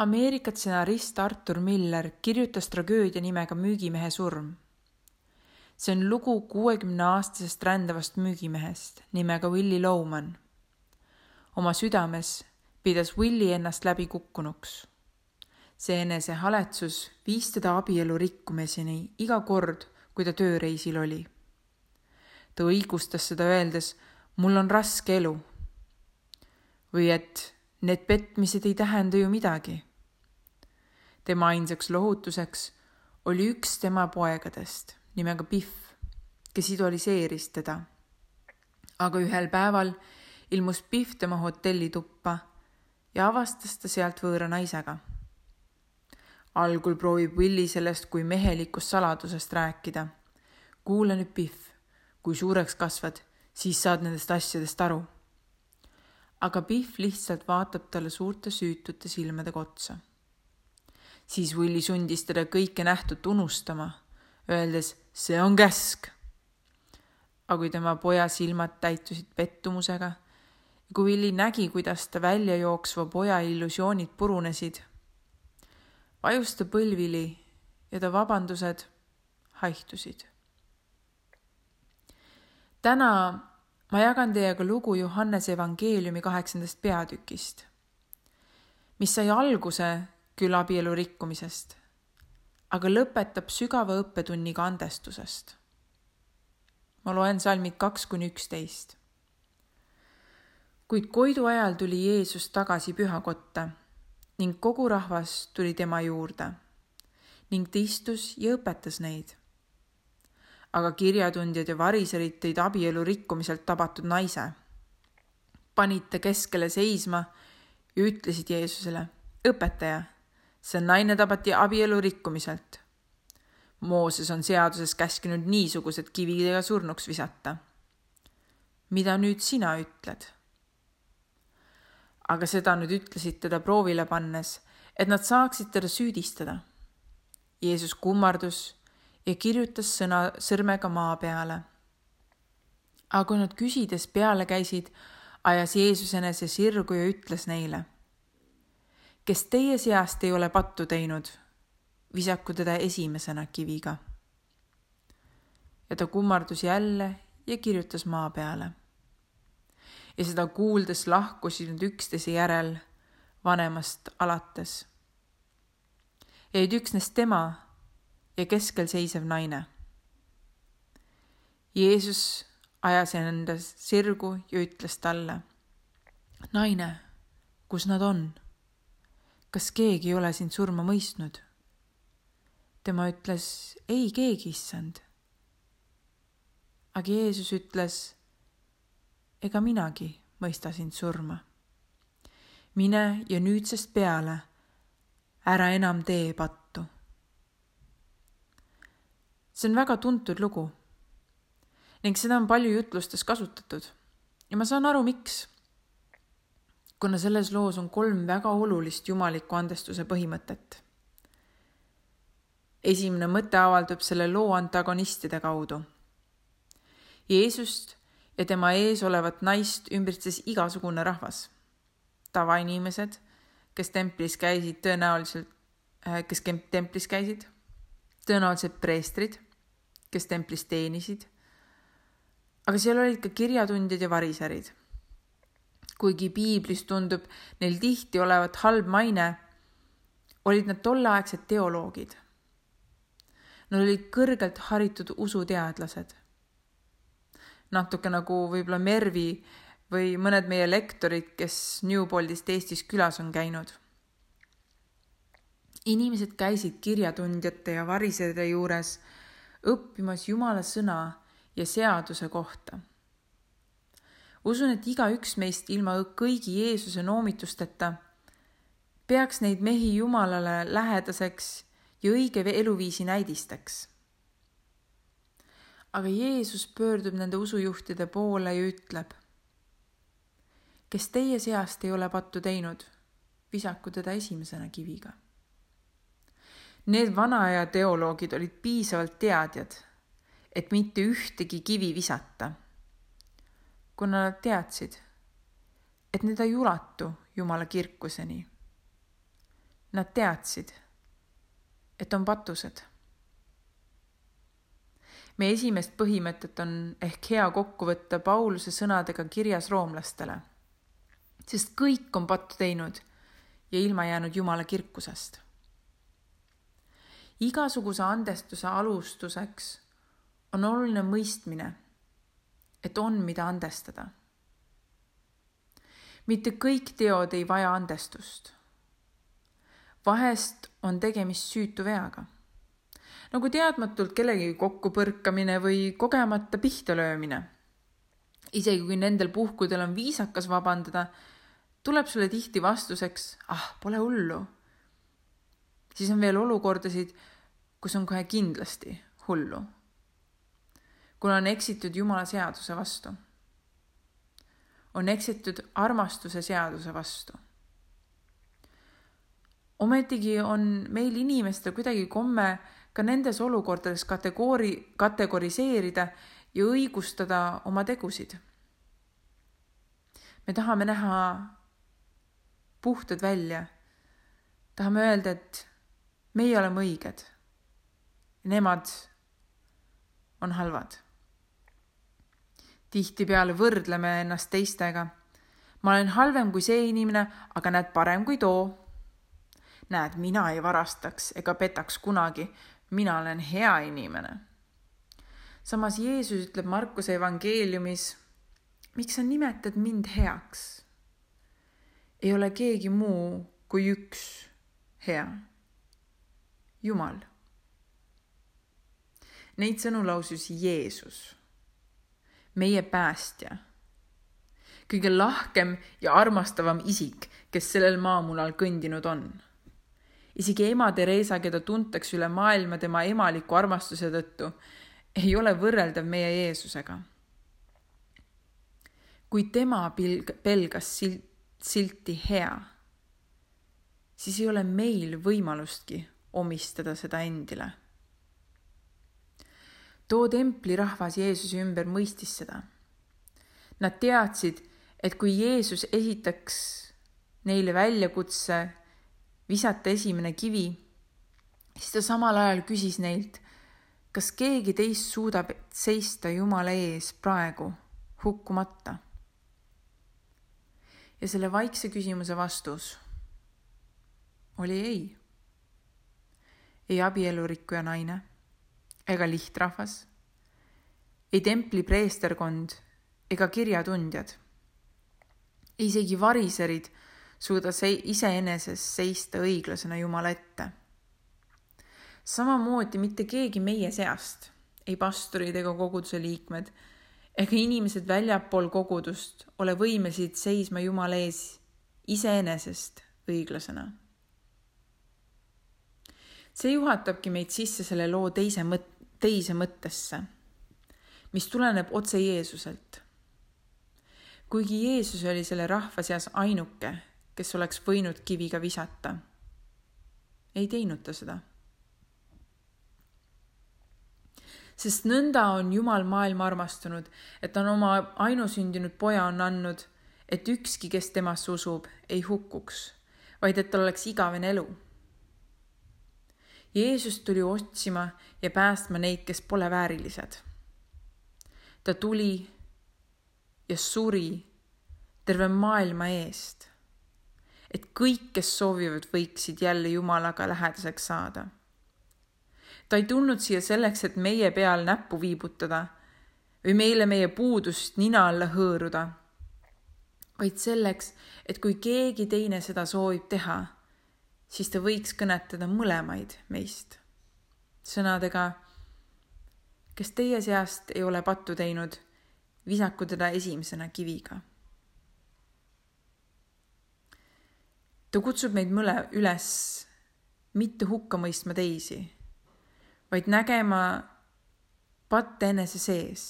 Ameerika stsenarist Arthur Miller kirjutas tragöödia nimega Müügimehe surm. See on lugu 60-aastasest rändavast müügimehest nimega Willy Loman. Oma südames pidas Willy ennast läbi kukkunuks. See enesehaletsus viis teda abielu rikkumiseni iga kord, kui ta tööreisil oli. Ta õigustas seda öeldes, mul on raske elu. Või et need petmised ei tähenda ju midagi. Tema ainsaks lohutuseks oli üks tema poegadest nimega Biff, kes idoliseeris teda. Aga ühel päeval ilmus Biff tema hotellituppa ja avastas ta sealt võõra naisega. Algul proovib Willy sellest kui mehelikust saladusest rääkida. Kuule nüüd Biff, kui suureks kasvad, siis saad nendest asjadest aru. Aga Biff lihtsalt vaatab talle suurte süütute silmadega otsa. Siis Willy sundis teda kõike nähtut unustama, öeldes, see on käsk. Aga kui tema poja silmad täitusid pettumusega ja kui Willy nägi, kuidas ta välja jooksva poja illusioonid purunesid, vajus ta põlvili ja ta vabandused haihtusid. Täna ma jagan teiega lugu Johannese evangeeliumi 8. peatükist, mis sai alguse küll abielu rikkumisest, aga lõpetab sügava õppetunniga andestusest. Ma loen salmid 2-11. Kuid koidu ajal tuli Jeesus tagasi pühakotta ning kogu rahvas tuli tema juurde ning ta istus ja õpetas neid. Aga kirjatundjad ja variserid tõid abielu rikkumiselt tabatud naise. Panid ta keskele seisma ja ütlesid Jeesusele, õpetaja, see naine tabati abielu rikkumiselt. Mooses on seaduses käskinud niisugused kividega surnuks visata. Mida nüüd sina ütled? Aga seda nüüd ütlesid teda proovile pannes, et nad saaksid teda süüdistada. Jeesus kummardus ja kirjutas sõrmega maa peale. Aga kui nad küsides peale käisid, ajas Jeesus enese sirgu ja ütles neile, kes teie seast ei ole pattu teinud, visaku teda esimesena kiviga. Ja ta kummardus jälle ja kirjutas maa peale. Ja seda kuuldes lahkusid nad üksteise järel vanemast alates. Jäid üksnes tema ja keskel seisev naine. Jeesus ajas enda sirgu ja ütles talle, naine, kus nad on? Kas keegi ei ole sind surma mõistnud? Tema ütles, ei keegi, issand. Aga Jeesus ütles, ega minagi mõista sind surma. Mine ja nüüdsest peale, ära enam tee pattu. See on väga tuntud lugu ning seda on palju jutlustes kasutatud ja ma saan aru, miks. Kuna selles loos on 3 väga olulist jumaliku andestuse põhimõtet. Esimene mõte avaldub selle loo antagonistide kaudu. Jeesust ja tema ees olevat naist ümbritses igasugune rahvas. Tavainimesed, kes templis käisid, tõenäoliselt preestrid, kes templis teenisid, aga seal olid ka kirjatundjad ja variserid. Kuigi piiblis tundub neil tihti olevat halb maine, olid nad tolleaegsed teoloogid. Nad olid kõrgelt haritud usuteadlased. Natuke nagu võib-olla Mervi või mõned meie lektorid, kes Newboldist Eestis külas on käinud. Inimesed käisid kirjatundjate ja variseride juures õppimas Jumala sõna ja seaduse kohta. Usun, et igaüks meist ilma kõigi Jeesuse noomitusteta peaks neid mehi Jumalale lähedaseks ja õige eluviisi näidisteks. Aga Jeesus pöördub nende usujuhtide poole ja ütleb, kes teie seast ei ole pattu teinud, visaku teda esimesena kiviga. Need vanaaja teoloogid olid piisavalt teadjad, et mitte ühtegi kivi visata, kuna nad teadsid, et need ei ulatu Jumala kirkuseni. Nad teadsid, et on patused. Meie esimest põhimõtet on ehk hea kokku võtta Pauluse sõnadega kirjas roomlastele, sest kõik on pattu teinud ja ilma jäänud Jumala kirkusest. Igasuguse andestuse alustuseks on oluline mõistmine, et on mida andestada. Mitte kõik teod ei vaja andestust. Vahest on tegemist süütu veaga. Nagu teadmatult kellegi kokkupõrkamine või kogemata pihta löömine. Isegi kui nendel puhkudel on viisakas vabandada, tuleb sulle tihti vastuseks, pole hullu. Siis on veel olukordasid, kus on kohe kindlasti hullu. Kuna on eksitud Jumala seaduse vastu. On eksitud armastuse seaduse vastu. Ometigi on meil inimestel kuidagi komme ka nendes olukordades kategoriseerida ja õigustada oma tegusid. Me tahame näha puhtad välja. Tahame öelda, et meie oleme õiged. Nemad on halvad. Tihtipeale võrdleme ennast teistega. Ma olen halvem kui see inimene, aga näed parem kui too. Näed, mina ei varastaks ega petaks kunagi. Mina olen hea inimene. Samas Jeesus ütleb Markuse evangeeliumis, miks sa nimetad mind heaks? Ei ole keegi muu kui üks hea. Jumal. Neid sõnu lausus Jeesus, meie päästja. Kõige lahkem ja armastavam isik, kes sellel maamunal kõndinud on. Isegi ema Teresa, keda tuntakse üle maailma tema emaliku armastuse tõttu, ei ole võrreldav meie Jeesusega. Kui tema pelgas silti hea, siis ei ole meil võimalustki omistada seda endile. Too templi rahvas Jeesuse ümber mõistis seda. Nad teadsid, et kui Jeesus esitaks neile väljakutse visata esimene kivi, siis ta samal ajal küsis neilt, kas keegi teist suudab seista Jumala ees praegu hukkumata. Ja selle vaikse küsimuse vastus oli ei. Ei abielurikkuja naine ega lihtrahvas, ei templi preesterkond ega kirjatundjad. Isegi variserid suuda iseenesest seista õiglasena Jumala ette. Samamoodi mitte keegi meie seast, ei pastorid ega koguduse liikmed, ega inimesed väljapool kogudust ole võimelised seisma Jumala ees iseenesest õiglasena. See juhatabki meid sisse selle loo teise mõttesse, mis tuleneb otse Jeesuselt. Kuigi Jeesus oli selle rahva seas ainuke, kes oleks võinud kiviga visata, ei teinud ta seda. Sest nõnda on Jumal maailma armastunud, et on oma ainusündinud poja on andnud, et ükski, kes temasse usub, ei hukkuks, vaid et tal oleks igavene elu. Jeesus tuli otsima ja päästma neid, kes pole väärilised. Ta tuli ja suri terve maailma eest, et kõik, kes soovivad, võiksid jälle Jumalaga lähedaseks saada. Ta ei tulnud siia selleks, et meie peal näppu viibutada või meile meie puudust nina alla hõõruda, vaid selleks, et kui keegi teine seda soovib teha, siis ta võiks kõnetada mõlemaid meist. Sõnadega, kes teie seast ei ole pattu teinud, visaku teda esimesena kiviga. Ta kutsub meid üles mitte hukka mõistma teisi, vaid nägema patte enese sees.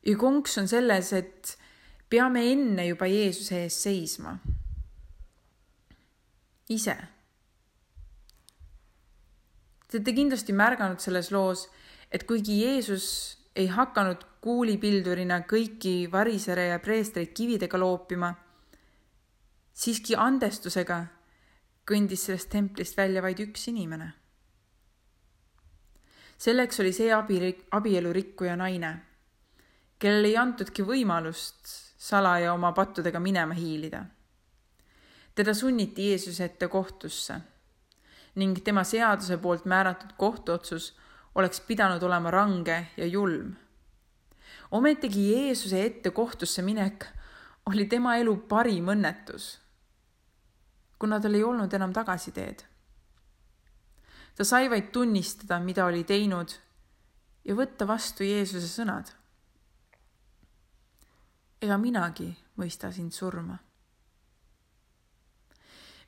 Ja konks on selles, et peame enne juba Jeesuse ees seisma. Ise. Te olete kindlasti märganud selles loos, et kuigi Jeesus ei hakanud kuulipildurina kõiki varisere ja preestreid kividega loopima, siiski andestusega kõndis sellest templist välja vaid üks inimene. Selleks oli see abielurikkuja naine, kellel ei antudki võimalust salaja oma pattudega minema hiilida. Teda sunniti Jeesuse ette kohtusse ning tema seaduse poolt määratud kohtuotsus oleks pidanud olema range ja julm. Ometigi Jeesuse ette kohtusse minek oli tema elu parim õnnetus, kuna tal ei olnud enam tagasiteed. Ta sai vaid tunnistada, mida oli teinud ja võtta vastu Jeesuse sõnad. Ega minagi mõista sind surma.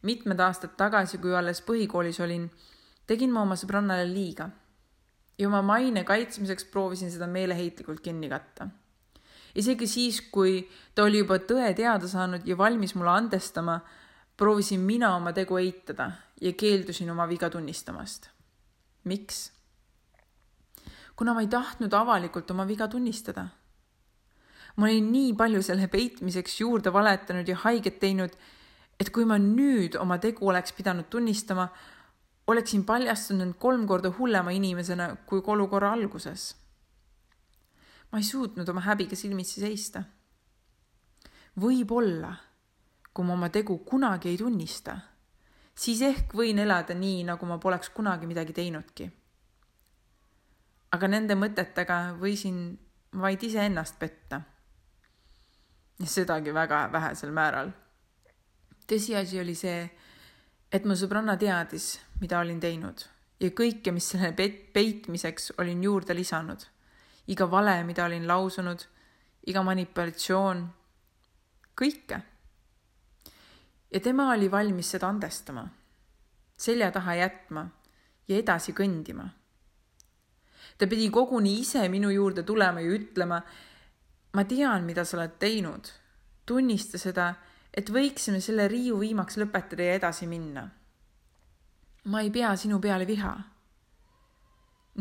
Mitmed aastad tagasi, kui alles põhikoolis olin, tegin ma oma sõbrannale liiga ja oma maine kaitsmiseks proovisin seda meeleheitlikult kinni katta. Isegi siis, kui ta oli juba tõe teada saanud ja valmis mulle andestama, proovisin mina oma tegu eitada ja keeldusin oma viga tunnistamast. Miks? Kuna ma ei tahtnud avalikult oma viga tunnistada. Ma olin nii palju selle peitmiseks juurde valetanud ja haiget teinud, et kui ma nüüd oma tegu oleks pidanud tunnistama, oleksin paljastunud 3 korda hullema inimesena kui olukorra alguses. Ma ei suutnud oma häbiga silmitsi seista. Võib-olla, kui ma oma tegu kunagi ei tunnista, siis ehk võin elada nii, nagu ma poleks kunagi midagi teinudki. Aga nende mõtetega võisin vaid iseennast petta. Ja sedagi väga vähesel määral. Tõsiasi oli see, et mu sõbranna teadis, mida olin teinud ja kõike, mis selle peitmiseks olin juurde lisanud. Iga vale, mida olin lausunud, iga manipulatsioon, kõike. Ja tema oli valmis seda andestama, selja taha jätma ja edasi kõndima. Ta pidi koguni ise minu juurde tulema ja ütlema, ma tean, mida sa oled teinud. Tunnista seda, et võiksime selle riiu viimaks lõpetada ja edasi minna. Ma ei pea sinu peale viha.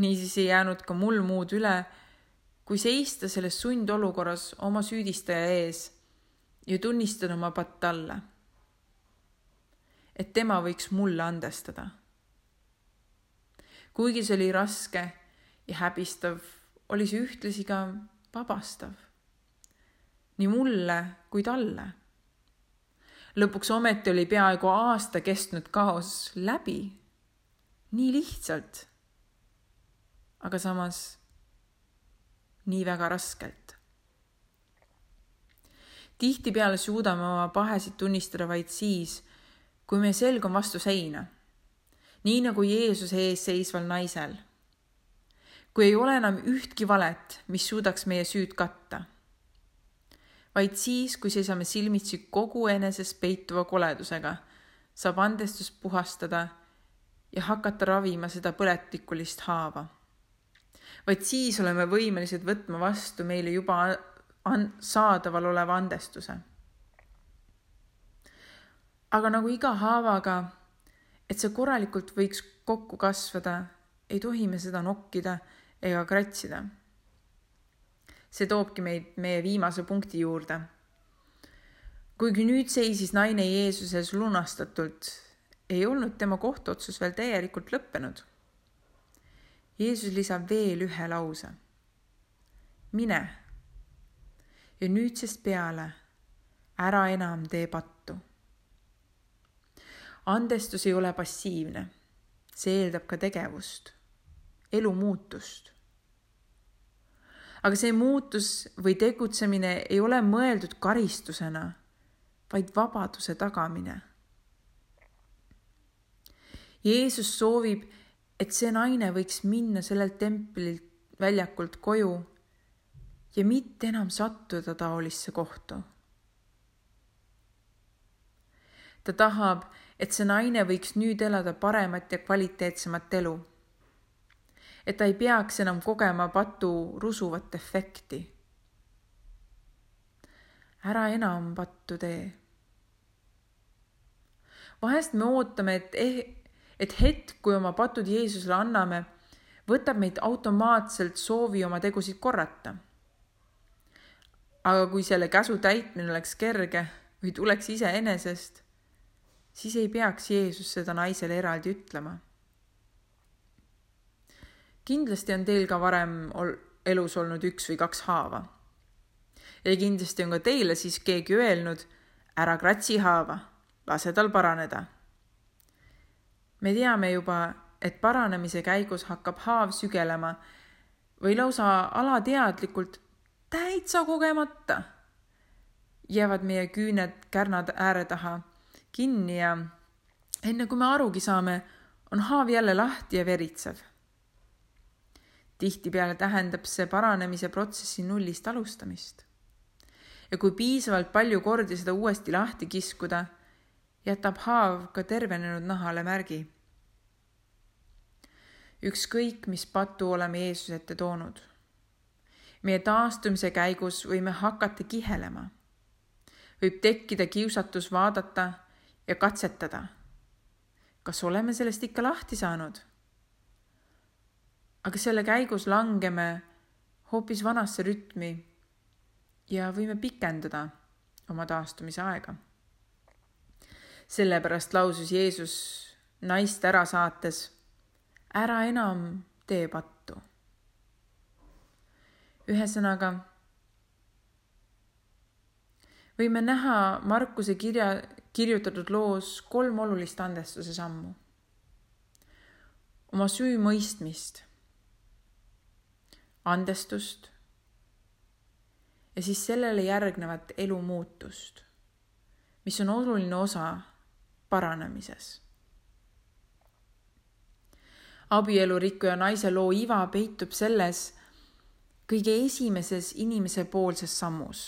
Niisiis ei jäänud ka mul muud üle, kui seista selles sundolukorras oma süüdistaja ees ja tunnistada oma patt talle, et tema võiks mulle andestada. Kuigi see oli raske ja häbistav, oli see ühtlasi ka vabastav. Nii mulle kui talle. Lõpuks ometi oli peaaegu aasta kestnud kaos läbi. Nii lihtsalt. Aga samas nii väga raskelt. Tihtipeale suudame oma pahesid tunnistada vaid siis, kui meie selg on vastu seina. Nii nagu Jeesuse ees seisval naisel. Kui ei ole enam ühtki valet, mis suudaks meie süüd katta. Vaid siis, kui seisame silmitsi kogu eneses peituva koledusega, saab andestus puhastada ja hakata ravima seda põletikulist haava. Vaid siis oleme võimelised võtma vastu meile juba saadaval oleva andestuse. Aga nagu iga haavaga, et see korralikult võiks kokku kasvada, ei tohi me seda nokkida ega kratsida. See toobki meid meie viimase punkti juurde. Kuigi nüüd seisis naine Jeesuses lunastatult, ei olnud tema kohtuotsus veel täielikult lõppenud. Jeesus lisab veel ühe lause. Mine ja nüüdsest peale ära enam tee pattu. Andestus ei ole passiivne. See eeldab ka tegevust, elu muutust. Aga see muutus või tegutsemine ei ole mõeldud karistusena, vaid vabaduse tagamine. Jeesus soovib, et see naine võiks minna sellelt templilt väljakult koju ja mitte enam sattuda taolisse kohtu. Ta tahab, et see naine võiks nüüd elada paremat ja kvaliteetsemat elu. Et ta ei peaks enam kogema patu rusuvat efekti. Ära enam pattu tee. Vahest me ootame, et hetk, kui oma patud Jeesusele anname, võtab meid automaatselt soovi oma tegusid korrata. Aga kui selle käsu täitmine oleks kerge, või tuleks iseenesest, siis ei peaks Jeesus seda naisele eraldi ütlema. Kindlasti on teil ka varem elus olnud 1 või 2 haava. Ja kindlasti on ka teile siis keegi öelnud, ära kratsi haava, lase tal paraneda. Me teame juba, et paranemise käigus hakkab haav sügelema või lausa alateadlikult täitsa kogemata jäävad meie küüned kärnad ääre taha kinni ja enne kui me arugi saame, on haav jälle lahti ja veritsev. Tihtipeale tähendab see paranemise protsessi nullist alustamist. Ja kui piisavalt palju kordi seda uuesti lahti kiskuda, jätab haav ka tervenenud nahale märgi. Ükskõik, mis patu oleme Jeesuse ette toonud. Meie taastumise käigus võime hakata kihelema. Võib tekkida kiusatus vaadata ja katsetada. Kas oleme sellest ikka lahti saanud? Aga selle käigus langeme hoopis vanasse rütmi ja võime pikendada oma taastumise aega. Sellepärast lausus Jeesus naist ära saates, ära enam tee pattu. Ühesõnaga, võime näha Markuse kirjutatud loos 3 olulist andestuse sammu. Oma süü mõistmist, andestust ja siis sellele järgnevat elu muutust, mis on oluline osa paranemises. Abielurikkuja naise loo iva peitub selles kõige esimeses inimese poolses sammus.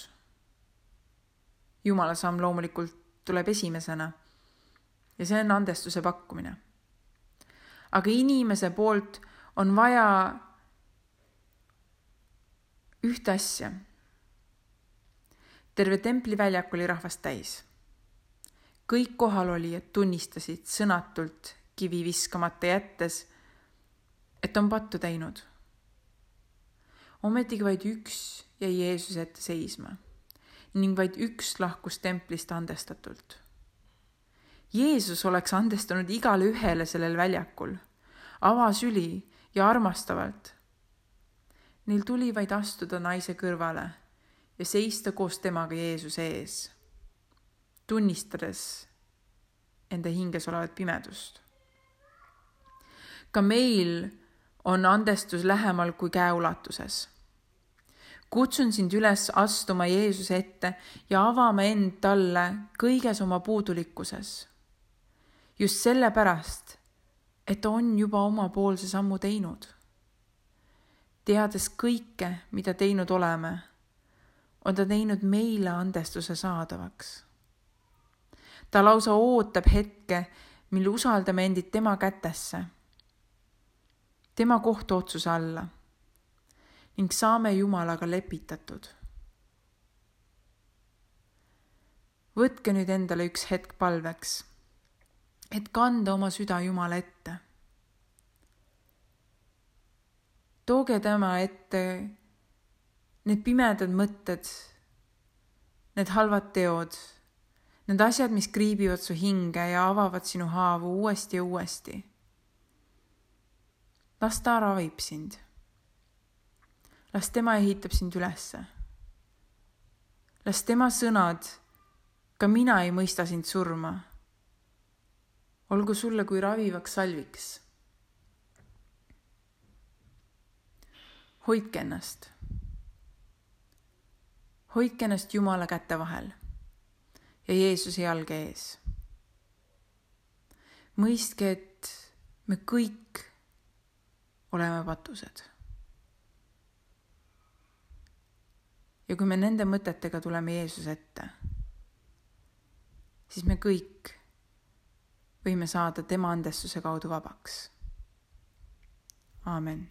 Jumala samm loomulikult tuleb esimesena ja see on andestuse pakkumine. Aga inimese poolt on vaja ühte asja. Terve templi väljak oli rahvast täis. Kõik kohalolijad tunnistasid sõnatult kivi viskamata jättes, et on pattu teinud. Ometigi vaid üks jäi Jeesuse ette seisma ning vaid üks lahkus templist andestatult. Jeesus oleks andestanud igale ühele sellel väljakul, avasüli ja armastavalt. Neil tuli vaid astuda naise kõrvale ja seista koos temaga Jeesuse ees, tunnistades enda hinges olevat pimedust. Ka meil on andestus lähemal kui käeulatuses. Kutsun sind üles astuma Jeesuse ette ja avama end talle kõiges oma puudulikkuses. Just sellepärast, et ta on juba omapoolse sammu teinud. Teades kõike, mida teinud oleme, on ta teinud meile andestuse saadavaks. Ta lausa ootab hetke, mil usaldame endid tema kätesse, tema kohtuotsuse alla ning saame Jumalaga lepitatud. Võtke nüüd endale üks hetk palveks, et kanda oma süda Jumala ette. Tooge tema ette need pimedad mõtted, need halvad teod, need asjad, mis kriibivad su hinge ja avavad sinu haavu uuesti ja uuesti. Las ta ravib sind. Las tema ehitab sind ülesse. Las tema sõnad, ka mina ei mõista sind surma. Olgu sulle kui ravivaks salviks. Hoidke ennast. Hoidke ennast Jumala käte vahel ja Jeesuse jalge ees. Mõistke, et me kõik oleme patused. Ja kui me nende mõtetega tuleme Jeesuse ette, siis me kõik võime saada tema andestuse kaudu vabaks. Aamen.